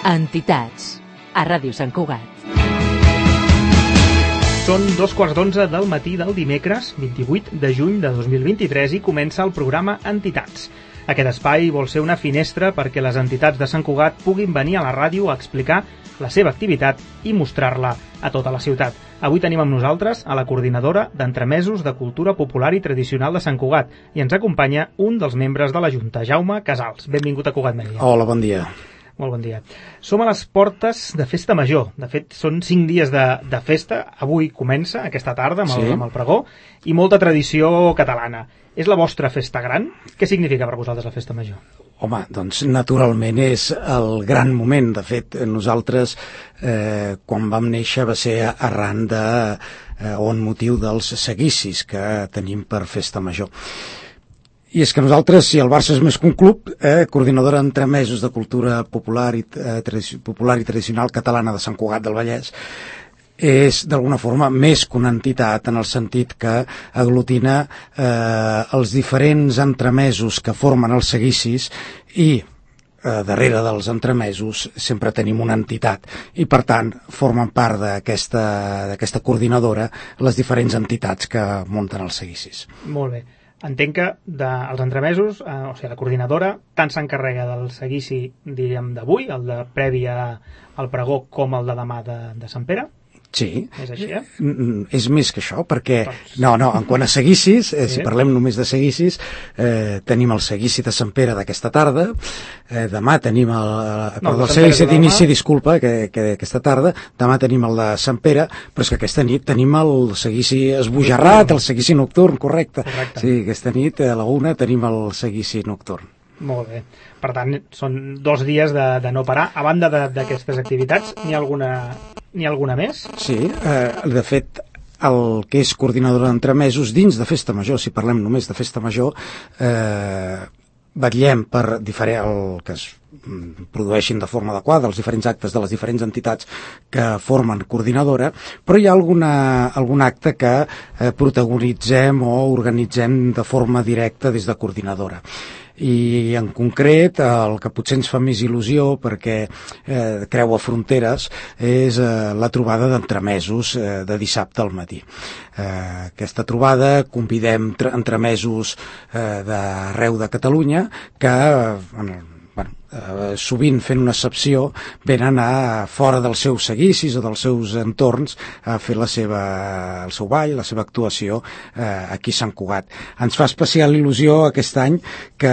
Entitats, a Ràdio Sant Cugat. Són 2:15 del matí del dimecres 28 de juny de 2023 i comença el programa Entitats. Aquest espai vol ser una finestra perquè les entitats de Sant Cugat puguin venir a la ràdio a explicar la seva activitat i mostrar-la a tota la ciutat. Avui tenim amb nosaltres a la coordinadora d'Entremesos de Cultura Popular i Tradicional de Sant Cugat i ens acompanya un dels membres de la Junta, Jaume Casals. Benvingut a Cugat Mèdia. Hola, bon dia. Molt bon dia. Som a les portes de Festa Major. De fet, són 5 dies de festa. Avui comença, aquesta tarda, amb el pregó, i molta tradició catalana. És la vostra festa gran? Què significa per vosaltres la Festa Major? Home, doncs naturalment és el gran moment. De fet, nosaltres, quan vam néixer, va ser arran o en motiu dels seguicis que tenim per Festa Major. I és que nosaltres, si el Barça és més que un club, coordinadora d'Entremesos de Cultura Popular i Tradicional Catalana de Sant Cugat del Vallès, és d'alguna forma més que una entitat en el sentit que aglutina els diferents entremesos que formen els seguicis i darrere dels entremesos sempre tenim una entitat i per tant formen part d'aquesta coordinadora les diferents entitats que munten els seguicis. Molt bé. Entenc que dels entremesos, o sigui, la coordinadora tant s'encarrega del seguici, diríem, d'avui, el de prèvia al pregó, com el de demà de Sant Pere? Sí. És així, És més que això, perquè... No, en quant a seguicis, si parlem només de seguicis, tenim el seguici de Sant Pere d'aquesta tarda, demà tenim el seguici d'inici, disculpa, que aquesta tarda, demà tenim el de Sant Pere, però és que aquesta nit tenim el seguici esbojarrat, el seguici nocturn, correcte. Sí, aquesta nit a la 1 tenim el seguici nocturn. Molt bé. Per tant, són 2 dies de no parar. A banda d'aquestes activitats, n'hi ha alguna més? Sí, de fet, el que és coordinadora d'entremesos dins de Festa Major, si parlem només de Festa Major, vetllem per el que es produeixin de forma adequada els diferents actes de les diferents entitats que formen coordinadora, però hi ha algun acte que protagonitzem o organitzem de forma directa des de coordinadora. I en concret el que potser ens fa més il·lusió perquè creua fronteres és la trobada d'entremesos de dissabte al matí. Aquesta trobada convidem entremesos d'arreu de Catalunya que sovint fent una excepció venen a fora dels seus seguicis o dels seus entorns a fer el seu ball, la seva actuació aquí a Sant Cugat. Ens fa especial il·lusió aquest any que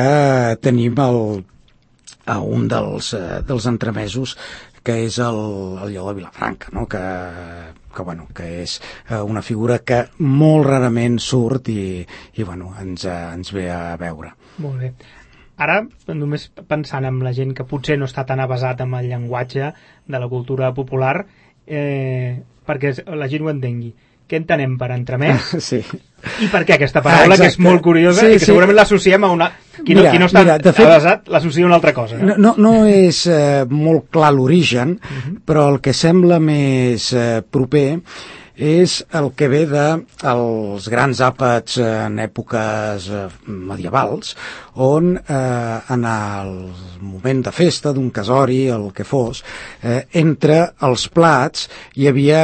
tenim un dels entremesos que és el Lleó de Vilafranca, no? que és una figura que molt rarament surt i ens ve a veure. Molt bé. Ara, només pensant en la gent que potser no està tan avesat amb el llenguatge de la cultura popular, perquè la gent ho entengui. Què entenem per entremès? Sí. I per què aquesta paraula, que és molt curiosa i que segurament l'associem a una... Qui no està avesat l'associa a una altra cosa. No és molt clar l'origen, però el que sembla més proper és el que ve dels grans àpats en èpoques medievals, on en el moment de festa, d'un casori, el que fos, entre els plats hi havia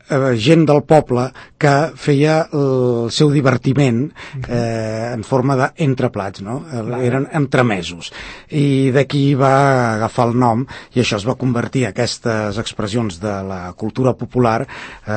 gent del poble que feia el seu divertiment en forma d'entreplats, no? Eren entremesos. I d'aquí va agafar el nom i això es va convertir, aquestes expressions de la cultura popular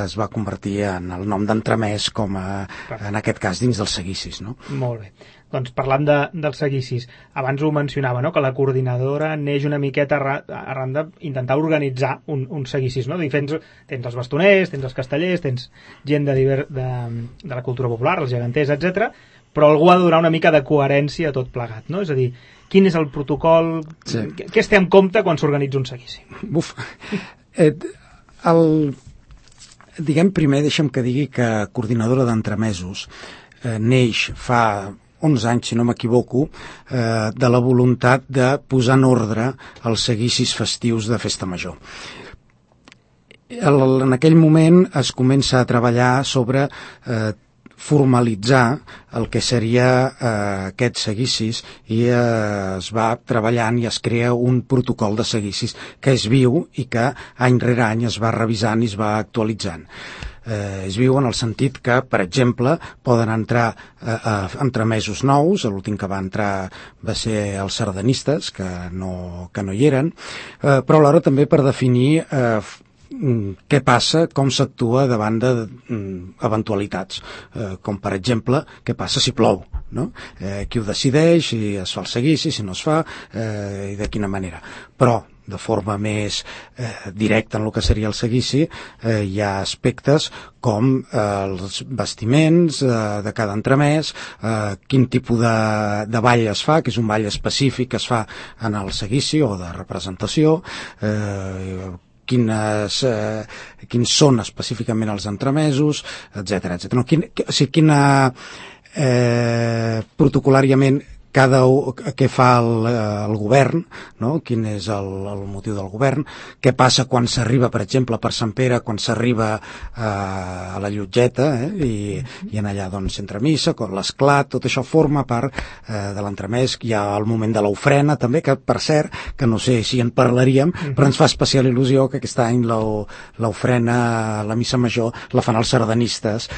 es va convertir en el nom d'entremès com en aquest cas dins dels seguicis, no? Molt bé. Doncs parlant dels seguicis, abans ho mencionava, no? Que la coordinadora neix una miqueta arran d'intentar organitzar un seguicis, no? Tens els bastoners, tens els castellers, tens gent de la cultura popular, els geganters, etc. Però algú ha de donar una mica de coherència a tot plegat, no? És a dir, quin és el protocol, què es té en compte quan s'organitza un seguici? Diguem primer, deixa'm que digui que coordinadora d'entremesos neix fa 11 anys, si no m'equivoco, de la voluntat de posar en ordre els seguicis festius de Festa Major. En aquell moment es comença a treballar sobre formalitzar el que seria aquests seguicis i es va treballant i es crea un protocol de seguicis que és viu i que any rere any es va revisant i es va actualitzant. És viu en el sentit que, per exemple, poden entrar entremesos nous. L'últim que va entrar va ser els sardanistes, que no hi eren, però alhora també per definir què passa, com s'actua davant d'eventualitats, com per exemple què passa si plou, no? Qui ho decideix, si es fa el seguici, si no es fa, i de quina manera. Però de forma més directa en el que seria el seguici, hi ha aspectes com els vestiments de cada entremès, quin tipus de ball es fa, que és un ball específic que es fa en el seguici o de representació, quins són específicament els entremesos, etc. No, quina protocolàriament què fa el govern, no? Quin és el motiu del govern, què passa quan s'arriba, per exemple, per Sant Pere, quan s'arriba a la Llotgeta, i en allà doncs s'entra missa, l'esclat, tot això forma part de l'entremès. Hi ha el moment de l'ofrena també, que per cert, que no sé si en parlaríem, però ens fa especial il·lusió que aquest any l'ofrena, la missa major, la fan els sardanistes.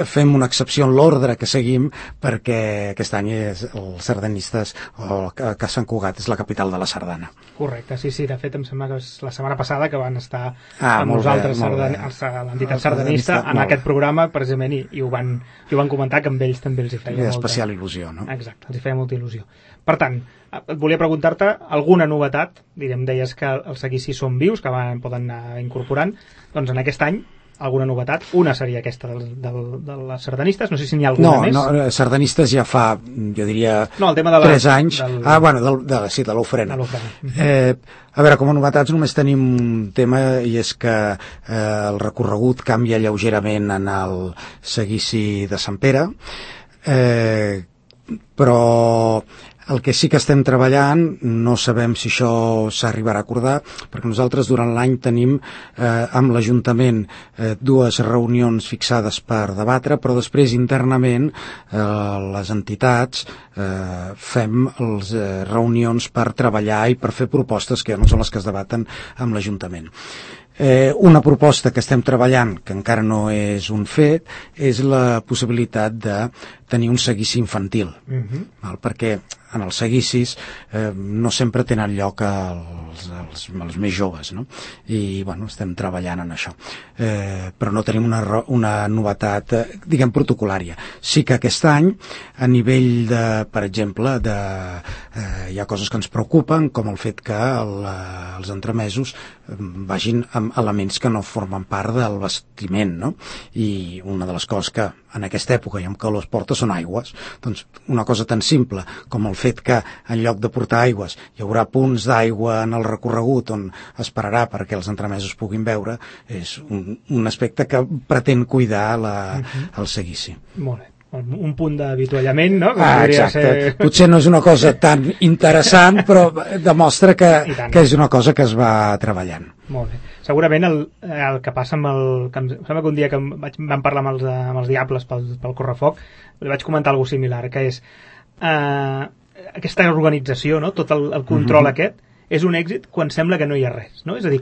Fem una excepció en l'ordre que seguim, perquè aquest any és els sardanistes, o que Sant Cugat és la capital de la sardana. Correcte, sí, de fet em sembla que és la setmana passada que van estar amb nosaltres l'entitat sardanista en aquest programa precisament, i ho van comentar, que amb ells també els hi feia molta especial il·lusió, no? Exacte, els hi feia molta il·lusió. Per tant, volia preguntar-te alguna novetat. Deies que els seguicis són vius, que poden anar incorporant. Doncs en aquest any alguna novetat? Una seria aquesta de les sardanistes, no sé si n'hi ha alguna més. No, sardanistes ja fa, jo diria, el tema de 3 anys. De l'ofrena. A veure, com a novetats només tenim un tema, i és que el recorregut canvia lleugerament en el seguici de Sant Pere, però el que sí que estem treballant, no sabem si això s'arribarà a acordar, perquè nosaltres durant l'any tenim amb l'Ajuntament 2 reunions fixades per debatre, però després internament les entitats fem les reunions per treballar i per fer propostes que no són les que es debaten amb l'Ajuntament. Una proposta que estem treballant, que encara no és un fet, és la possibilitat de tenir un seguici infantil, perquè en els seguicis no sempre tenen lloc els més joves, no? I estem treballant en això, però no tenim una novetat, diguem, protocolària. Sí que aquest any, a nivell de, per exemple, hi ha coses que ens preocupen, com el fet que els entremesos vagin amb elements que no formen part del vestiment, no? I una de les coses que en aquesta època i amb calor es porta són aigües. Doncs una cosa tan simple com el fet que en lloc de portar aigües hi haurà punts d'aigua en el recorregut on es pararà perquè els entremesos puguin beure, és un aspecte que pretén cuidar el seguici. Molt bé. Un punt d'avituallament, no? Exacte. Potser no és una cosa tan interessant, però demostra que és una cosa que es va treballant. Molt bé. Segurament el que passa amb em sembla que un dia que vam parlar amb els Diables pel Correfoc, li vaig comentar alguna similar, que és aquesta organització, no? Tot el control aquest és un èxit quan sembla que no hi ha res, no? És a dir,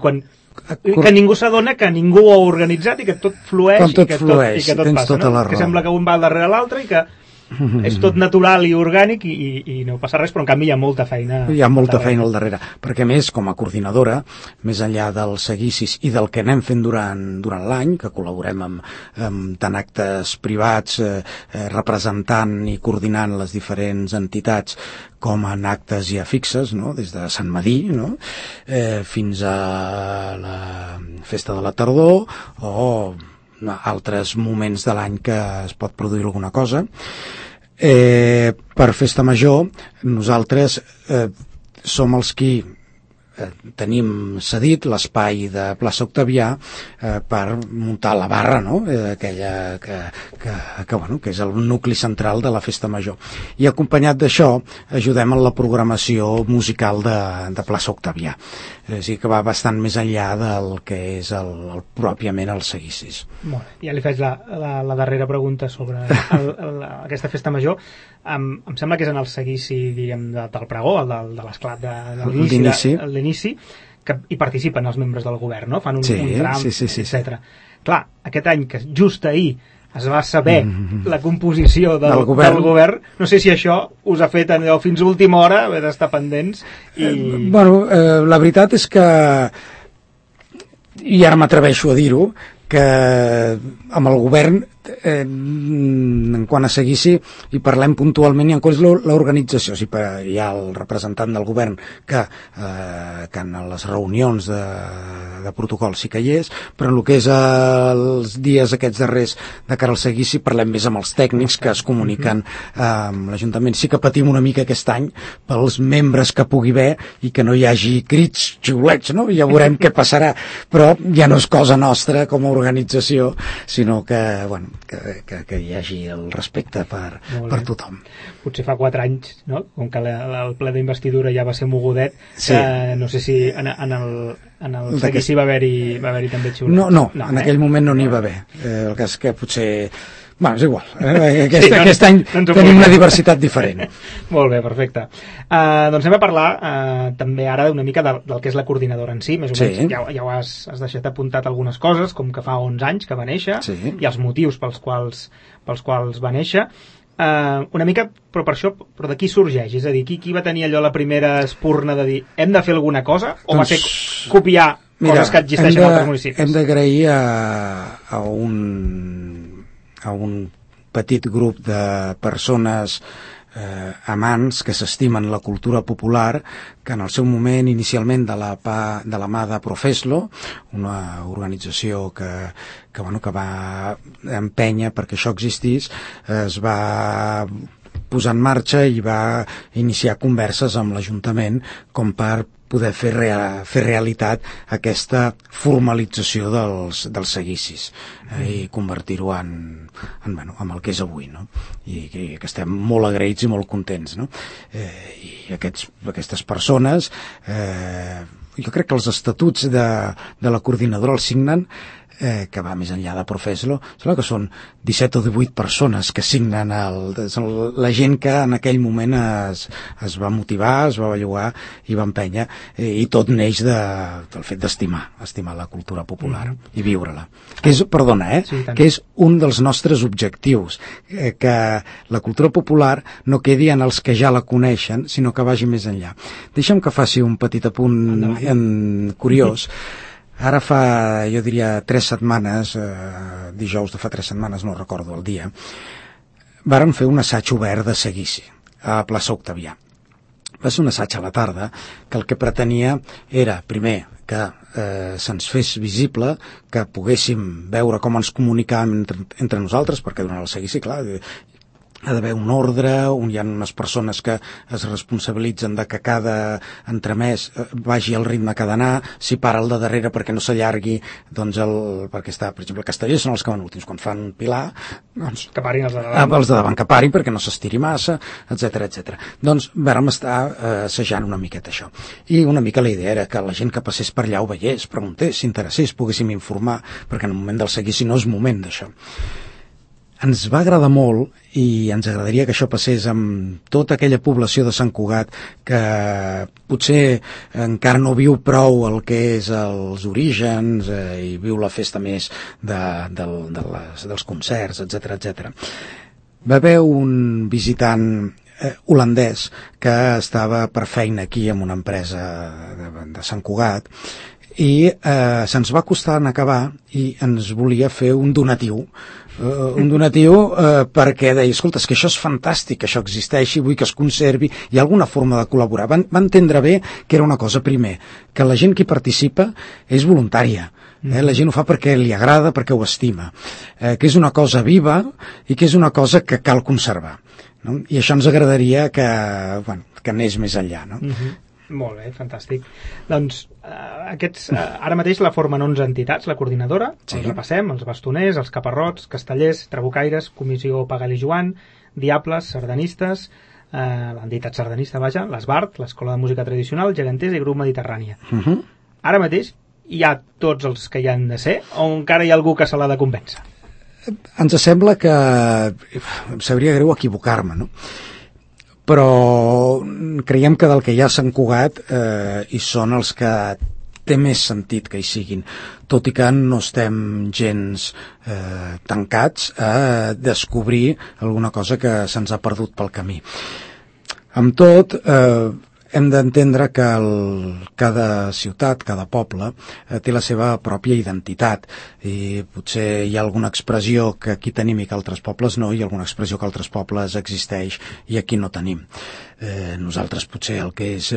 que ningú s'adona que ningú ho ha organitzat i que tot flueix, i que tot passa, no? Que sembla que un va darrere l'altre i que és tot natural i orgànic i no passa res, però en canvi hi ha molta feina. Hi ha molta feina al darrere, perquè més, com a coordinadora, més enllà dels seguicis i del que anem fent durant l'any, que col·laborem amb tant actes privats representant i coordinant les diferents entitats, com en actes ja fixes, no? Des de Sant Madí, no? Fins a la festa de la tardor o altres moments de l'any que es pot produir alguna cosa. Per festa major nosaltres som els qui tenim cedit l'espai de plaça Octavià per muntar la barra, no? Aquella que és el nucli central de la festa major. I acompanyat d'això ajudem en la programació musical de plaça Octavià. És a dir, que va bastant més enllà del que és pròpiament els seguicis. Molt bé. Ja li faig la darrera pregunta sobre aquesta festa major. Em sembla que és en el seguici, diguem, del pregó, el de l'esclat de l'inici, que hi participen els membres del govern, no? Fan un tram, etc. Clar, aquest any, que just ahir es va saber la composició del govern, no sé si això us ha fet fins a última hora haver d'estar pendents. La veritat és que, i ara m'atreveixo a dir-ho, que amb el govern, en quant a seguici, hi parlem puntualment, i en quant a l'organització, hi ha el representant del govern que en les reunions de protocol sí que hi és, però en el que és els dies aquests darrers de cara al seguici parlem més amb els tècnics que es comuniquen amb l'Ajuntament. Sí que patim una mica aquest any pels membres que pugui haver i que no hi hagi crits, xiulets, no? Ja veurem què passarà, però ja no és cosa nostra com a organització, sinó que hi hagi el respecte per tothom. Potser fa 4 anys, no? Com que el ple d'investidura ja va ser mogudet, no sé si en el seguici va haver-hi també xiulets. No, en aquell moment no n'hi va haver. El cas que potser... és igual. Aquest any tenim una diversitat diferent. Molt bé, perfecte. Doncs anem a parlar també ara una mica del que és la coordinadora en si, més o menys. Ja ho has deixat apuntat algunes coses, com que fa 11 anys que va néixer, i els motius pels quals va néixer. Una mica, però per això, però de qui sorgeix? És a dir, qui va tenir allò la primera espurna de dir hem de fer alguna cosa, o va ser copiar coses que existeixen en altres municipis? Hem d'agrair a un petit grup de persones amants que s'estimen la cultura popular, que en el seu moment, inicialment de la mà de Profeslo, una organització que va empènyer perquè això existís, es va posar en marxa i va iniciar converses amb l'Ajuntament com per poder fer realitat aquesta formalització dels seguicis i convertir-ho en el que és avui, no? I que estem molt agraïts i molt contents, no? I aquestes persones, jo crec que els estatuts de la coordinadora els signen, que va més enllà de Profeslo, sembla que són 17 o 18 persones que signen la gent que en aquell moment es va motivar, es va bellugar i va empènyer, i tot neix del fet d'estimar la cultura popular i viure-la. Que és un dels nostres objectius, que la cultura popular no quedi en els que ja la coneixen, sinó que vagi més enllà. Deixa'm que faci un petit apunt curiós. Ara fa, jo diria, 3 setmanes, dijous de fa 3 setmanes, no recordo el dia, vàrem fer un assaig obert de seguici a plaça Octavià. Va ser un assaig a la tarda que el que pretenia era, primer, que se'ns fes visible, que poguéssim veure com ens comunicàvem entre nosaltres, perquè durant el seguici, clar, ha d'haver un ordre, on hi ha unes persones que es responsabilitzen de que cada entremès vagi al ritme que ha d'anar, si para el de darrere perquè no s'allargui, doncs perquè està, per exemple, Castellers són els que van últims, quan fan un pilar, doncs que parin els de davant. Els de davant que parin perquè no s'estiri massa, etc. Doncs vàrem estar assajant una miqueta això. I una mica la idea era que la gent que passés per allà ho veiés, preguntés, s'interessés, poguéssim informar, perquè en el moment del seguici no és moment d'això. Ens va agradar molt i ens agradaria que això passés amb tota aquella població de Sant Cugat que potser encara no viu prou el que és els orígens i viu la festa més dels concerts, etc. Va haver un visitant holandès que estava per feina aquí en una empresa de Sant Cugat i se'ns va costar en acabar i ens volia fer un donatiu perquè deia, escolta, és que això és fantàstic, que això existeixi, vull que es conservi, hi ha alguna forma de col·laborar. Va entendre bé que era una cosa, primer, que la gent que hi participa és voluntària, la gent ho fa perquè li agrada, perquè ho estima, que és una cosa viva i que és una cosa que cal conservar, no? I això ens agradaria que anés més enllà, no? Molt bé, fantàstic. Doncs ara mateix la formen 11 entitats, la coordinadora, Sí. els repassem, els bastoners, els caparrots, castellers, trabucaires, Comissió Pagal i Joan, Diables, sardanistes, l'entitat sardanista, vaja, l'Esbart, l'Escola de Música Tradicional, Geganters i Grup Mediterrània. Ara mateix hi ha tots els que hi han de ser o encara hi ha algú que se l'ha de convèncer? Ens sembla que em sabria greu equivocar-me, no? Però creiem que del que hi ha a Sant Cugat hi són els que té més sentit que hi siguin, tot i que no estem gens tancats a descobrir alguna cosa que se'ns ha perdut pel camí. Amb tot, hem d'entendre que cada ciutat, cada poble, té la seva pròpia identitat i potser hi ha alguna expressió que aquí tenim i que altres pobles no, i alguna expressió que altres pobles existeix i aquí no tenim. Nosaltres potser el que és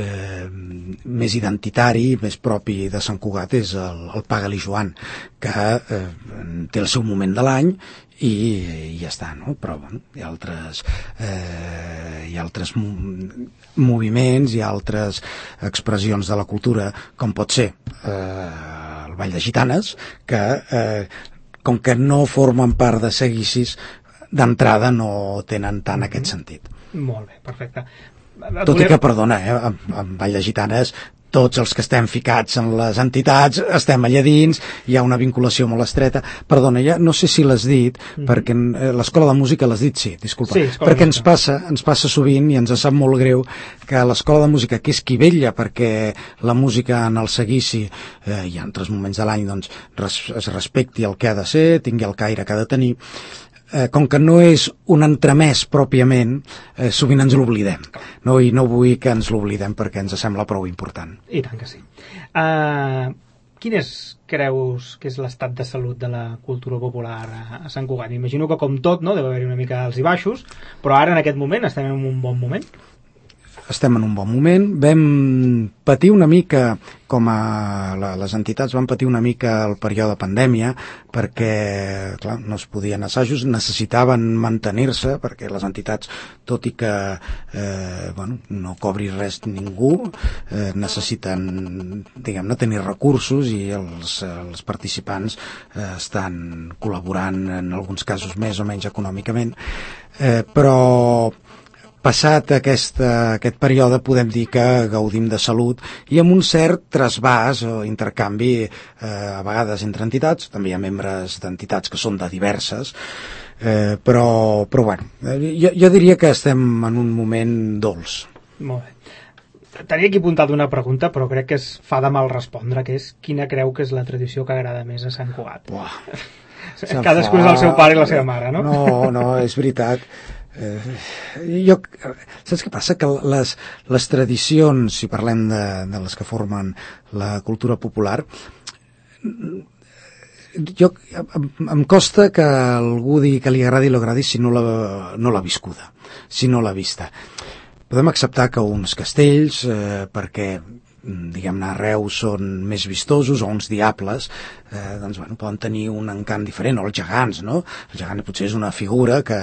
més identitari, més propi de Sant Cugat és el Pagal i Joan, que té el seu moment de l'any i ja està, no? Però bueno, hi ha altres moviments, hi ha altres expressions de la cultura, com pot ser el Ball de Gitanes, que com que no formen part de seguicis, d'entrada no tenen tant aquest sentit. Molt bé, perfecte. Tot i que, perdona, amb Ball de Gitanes tots els que estem ficats en les entitats estem allà dins, hi ha una vinculació molt estreta. Perdona, ja no sé si l'has dit, perquè l'Escola de Música l'has dit, sí, disculpa, sí, perquè ens passa sovint i ens sap molt greu que l'Escola de Música, que és qui vetlla perquè la música en el seguici i en altres moments de l'any doncs, es respecti el que ha de ser, tingui el caire que ha de tenir, com que no és un entremès pròpiament, sovint ens l'oblidem, no? I no vull que ens l'oblidem perquè ens sembla prou important. I tant que sí. Quin creus que és l'estat de salut de la cultura popular a Sant Cugat? M'imagino que com tot, no? Deu haver-hi una mica alts i baixos, però ara en aquest moment estem en un bon moment? Estem en un bon moment. Vam patir una mica, les entitats van patir una mica el període de pandèmia, perquè clar, no es podien assajos, necessitaven mantenir-se, perquè les entitats, tot i que no cobri res ningú, necessiten, diguem-ne, tenir recursos i els participants estan col·laborant en alguns casos més o menys econòmicament, però passat aquest període podem dir que gaudim de salut i amb un cert trasbàs o intercanvi a vegades entre entitats, també hi ha membres d'entitats que són de diverses, però bueno, jo diria que estem en un moment dolç. Molt bé. Tenia aquí apuntat una pregunta, però crec que es fa de mal respondre, que és quina creu que és la tradició que agrada més a Sant Cugat? Cadascú és el seu pare i la seva mare, no? No, és veritat. Saps què passa? Que les tradicions, si parlem de les que formen la cultura popular, em costa que algú digui que li agradi o agradi si no l'ha viscuda, si no l'ha vista. Podem acceptar que uns castells, perquè diguem-ne a Reus són més vistosos, o uns diables doncs bueno, poden tenir un encant diferent, o els gegants, no? El gegant potser és una figura que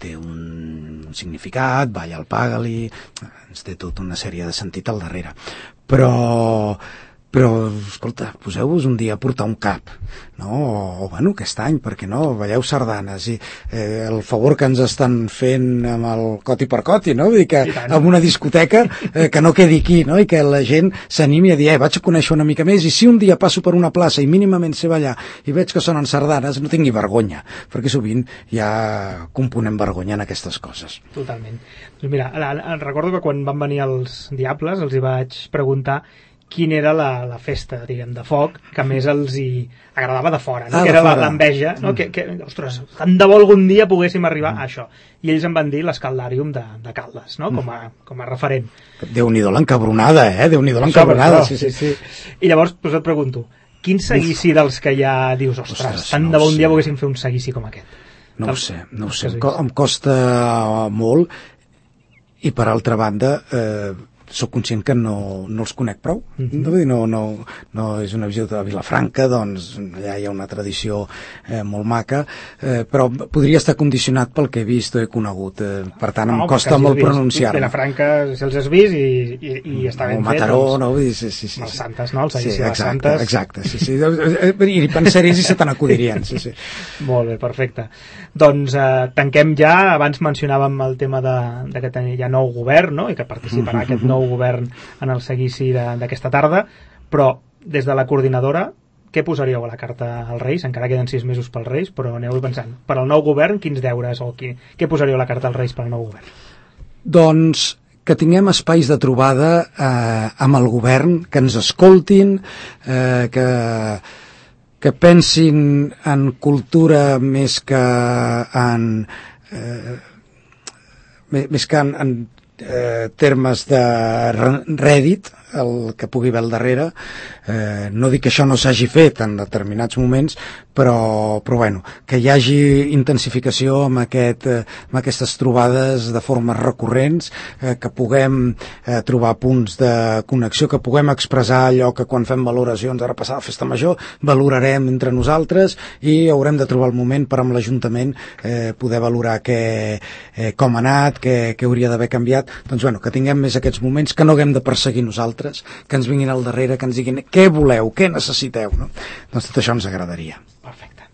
té un significat, balla al Pagal-i, ens té tota una sèrie de sentit al darrere, però escolta, poseu-vos un dia a portar un cap, no? O bueno, aquest any, per què no? Balleu sardanes i el favor que ens estan fent amb el coti per coti, no? Vull dir que amb una discoteca que no quedi aquí, no? I que la gent s'animi a dir, vaig a conèixer una mica més, i si un dia passo per una plaça i mínimament sé ballar i veig que sonen sardanes, no tingui vergonya, perquè sovint ja componem vergonya en aquestes coses. Totalment. Doncs mira, recordo que quan van venir els Diables els hi vaig preguntar quina era la festa, diguem, de foc que més els hi agradava de fora, no? Que era l'enveja, no? Que, ostres, tant de bo algun dia poguéssim arribar a això. I ells em van dir l'Escaldàrium de Caldes, no? Com a referent. Déu-n'hi-do l'encabronada, Déu-n'hi-do l'encabronada. Sí. I llavors et pregunto, quin seguici dels que ja dius, ostres, tant de bo un dia poguéssim fer un seguici com aquest? No ho sé. Em costa molt, i per altra banda sóc conscient que no els conec prou. No és una visió de Vilafranca, doncs allà hi ha una tradició molt maca, però podria estar condicionat pel que he vist o he conegut, per tant em costa molt pronunciar-me. Vilafranca, si els has vist i està ben fet. Mataró, no? Sí. Els Santes, no? El seguici de les Santes. Exacte, sí. I pensaries i se te n'acudirien, sí. Molt bé, perfecte. Doncs tanquem ja. Abans mencionàvem el tema de que hi ha nou govern, no? I que participarà aquest nou govern en el seguici d'aquesta tarda, però des de la coordinadora, què posaríeu a la carta als Reis? Encara queden 6 mesos pels Reis, però aneu pensant. Per al nou govern, quins deures o què posaríeu a la carta als Reis per al nou govern? Doncs que tinguem espais de trobada amb el govern, que ens escoltin, que pensin en cultura més que en termes de rèdit, el que pugui haver al darrere. No dic que això no s'hagi fet en determinats moments, però bueno, que hi hagi intensificació amb aquestes trobades de formes recurrents, que puguem trobar punts de connexió, que puguem expressar allò que quan fem valoracions, ara passada la festa major, valorarem entre nosaltres i haurem de trobar el moment per amb l'Ajuntament poder valorar com ha anat, què hauria d'haver canviat. Doncs bueno, que tinguem més aquests moments, que no haguem de perseguir nosaltres, que ens vinguin al darrere, que ens diguin què voleu, què necessiteu, no? Doncs tot això ens agradaria. Perfecte.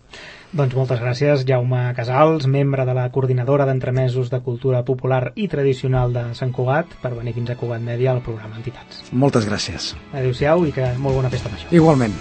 Doncs moltes gràcies, Jaume Casals, membre de la Coordinadora d'Entremesos de Cultura Popular i Tradicional de Sant Cugat, per venir fins a Cugat Mèdia al programa Entitats. Moltes gràcies. Adéu-siau i que molt bona festa major. Igualment.